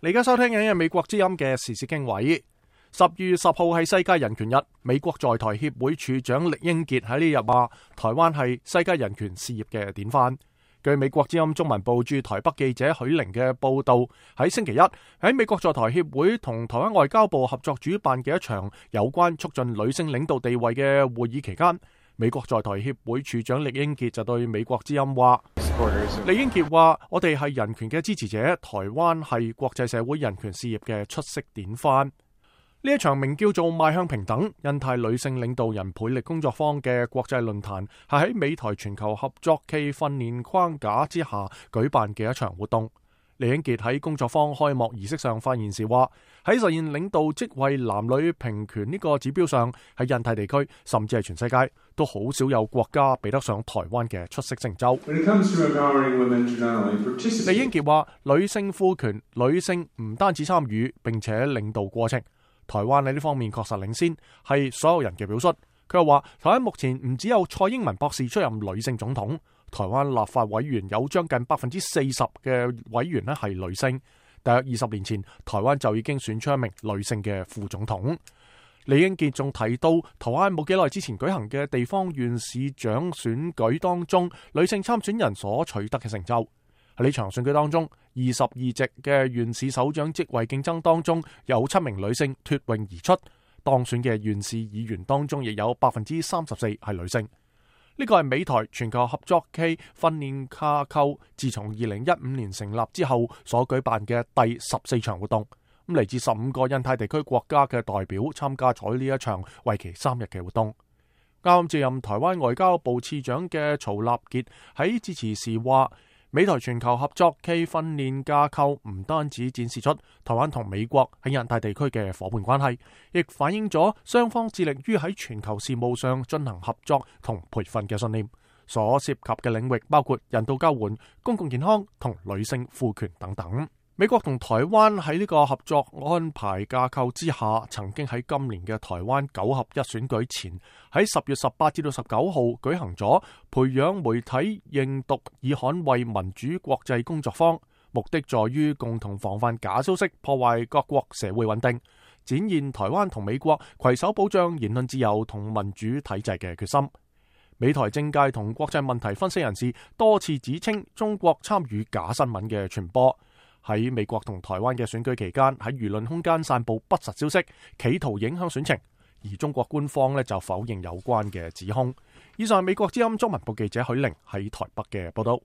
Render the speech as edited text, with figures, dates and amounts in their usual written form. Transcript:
你而家收聽緊嘅美國之音嘅時事經緯。10月10號係世界人權日，美國在台協會處長酈英傑喺呢日話，台灣係世界人權事業嘅典範。據美國之音中文部駐台北記者許玲嘅報道，喺星期一喺美國在台協會同台灣外交部合作主辦嘅一場有關促進女性領導地位嘅會議期間，美國在台協會處長酈英傑就對美國之音話，酈英傑話：我哋係人權嘅支持者，台灣係國際社會人權事業嘅出色典範。呢一場名叫做邁向平等印太女性領導人倍力工作坊嘅國際論壇，係喺美台全球合作暨訓練框架之下舉辦嘅一場活動。酈英傑喺工作坊開幕儀式上發言時話：喺實現領導職位男女平權呢個指標上，喺印太地區甚至係全世界都好少有國家比得上台灣嘅出色成就。酈英傑話：女性賦權，女性唔單止參與並且領導過程。台灣喺呢方面確實領先，係所有人嘅表率。佢又話，台灣目前唔只有蔡英文博士出任女性總統，台灣立法委員有將近40%嘅委員咧係女性。大約20年前，台灣就已經選出一名女性嘅副總統。酈英傑仲提到，台灣冇幾耐之前舉行嘅地方縣市長選舉當中，女性參選人所取得嘅成就。喺呢場選舉當中，22席嘅縣市首長職位競爭當中，有7名女性脫穎而出。當選嘅縣市議員當中，亦有34%係女性。呢個係美台全球合作暨訓練架構自從2015年成立之後所舉辦嘅第14場活動。咁嚟自15個印太地區國家嘅代表參加咗呢一場為期3日嘅活動。啱接任台灣外交部次長嘅曹立傑喺致辭時話：美台全球合作暨訓練架構唔單止展示出台灣同美國喺印太地區嘅夥伴關係，亦反映咗雙方致力於喺全球事務上進行合作同培訓嘅信念。所涉及嘅領域包括人道救援、公共健康同女性賦權等等。美國同台灣喺呢個合作安排架構之下，曾經喺今年嘅台灣9合1選舉前，喺10月18至到19號舉行咗培養媒體認讀以捍衛民主國際工作坊，目的在於共同防範假消息破壞各國社會穩定，展現台灣同美國攜手保障言論自由同民主體制嘅決心。美台政界同國際問題分析人士多次指稱中國參與假新聞嘅傳播，喺美國同台灣嘅選舉期間喺輿論空間散布不實消息，企圖影響選情，而中國官方就否認有關嘅指控。以上係美國之音中文部記者許玲喺台北嘅報道。